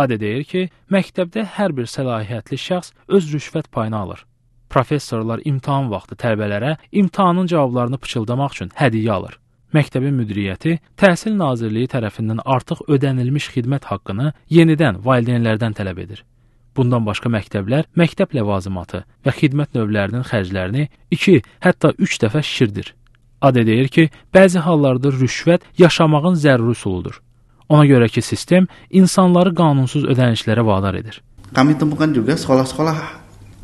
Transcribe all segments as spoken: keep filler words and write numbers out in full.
Ade deyir ki, məktəbdə hər bir səlahiyyətli şəxs öz rüşvət payını alır. Professorlar imtahan vaxtı tələbələrə imtahanın cavablarını pıçıldamaq üçün hədiyyə alır. Məktəbin müdiriyyəti Təhsil Nazirliyi tərəfindən artıq ödənilmiş xidmət haqqını yenidən valideynlərdən tələb edir. Bundan başqa məktəblər məktəb ləvazimatı və xidmət növlərinin xərclərini iki, hətta üç dəfə şişirdir. Ade deyir ki, bəzi hallarda rüşvət yaşamağın zəruri üsuludur. Ona görə ki, sistem insanları qanunsuz ödənişlərə vadar edir. Kami temukan juga sekolah-sekolah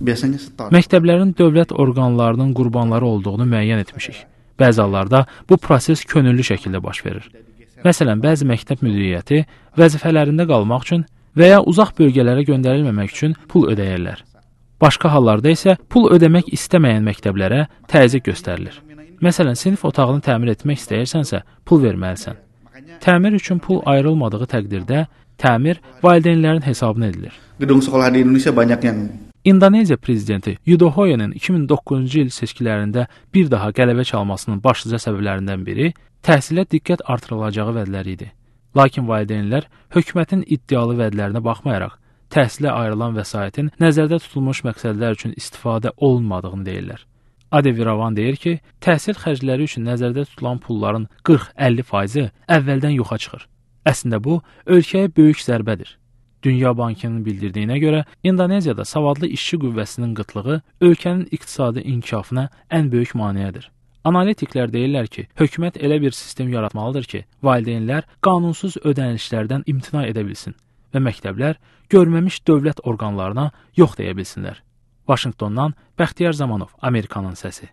biasanya setor. Məktəblərin dövlət orqanlarının qurbanları olduğunu müəyyən etmişik. Bəzi hallarda bu proses könüllü şəkildə baş verir. Məsələn, bəzi məktəb müdiriyyəti vəzifələrində qalmaq üçün və ya uzaq bölgələrə göndərilməmək üçün pul ödəyirlər. Başqa hallarda isə pul ödəmək istəməyən məktəblərə təzyiq göstərilir. Məsələn, sinif otağını təmir etmək istəyirsənsə, pul verməlisən. Təmir üçün pul ayrılmadığı təqdirdə təmir valideynlərin hesabına edilir. Gedung sekolah di Indonesia banyak yang İndoneziya prezidenti Yudhoyo'nun iki min doqquzuncu il seçkilərində bir daha qələbə çalmasının başlıca səbəblərindən biri təhsilə diqqət artırılacağı vədləri idi. Lakin valideynlər hökumətin iddialı vədlərinə baxmayaraq, təhsilə ayrılan vəsaitin nəzərdə tutulmuş məqsədlər üçün istifadə olunmadığını deyirlər. Ade Viravan deyir ki, təhsil xərcləri üçün nəzərdə tutulan pulların qırx əlli faizi əvvəldən yoxa çıxır. Əslində bu, ölkəyə böyük zərbədir. Dünya Bankının bildirdiyinə görə, İndoneziyada savadlı işçi qüvvəsinin qıtlığı ölkənin iqtisadi inkişafına ən böyük maneədir. Analitiklər deyirlər ki, hökumət elə bir sistem yaratmalıdır ki, valideynlər qanunsuz ödənişlərdən imtina edə bilsin və məktəblər görməmiş dövlət orqanlarına yox deyə bilsinlər. Vaşinqtondan Bəxtiyar Zamanov, Amerikanın səsi.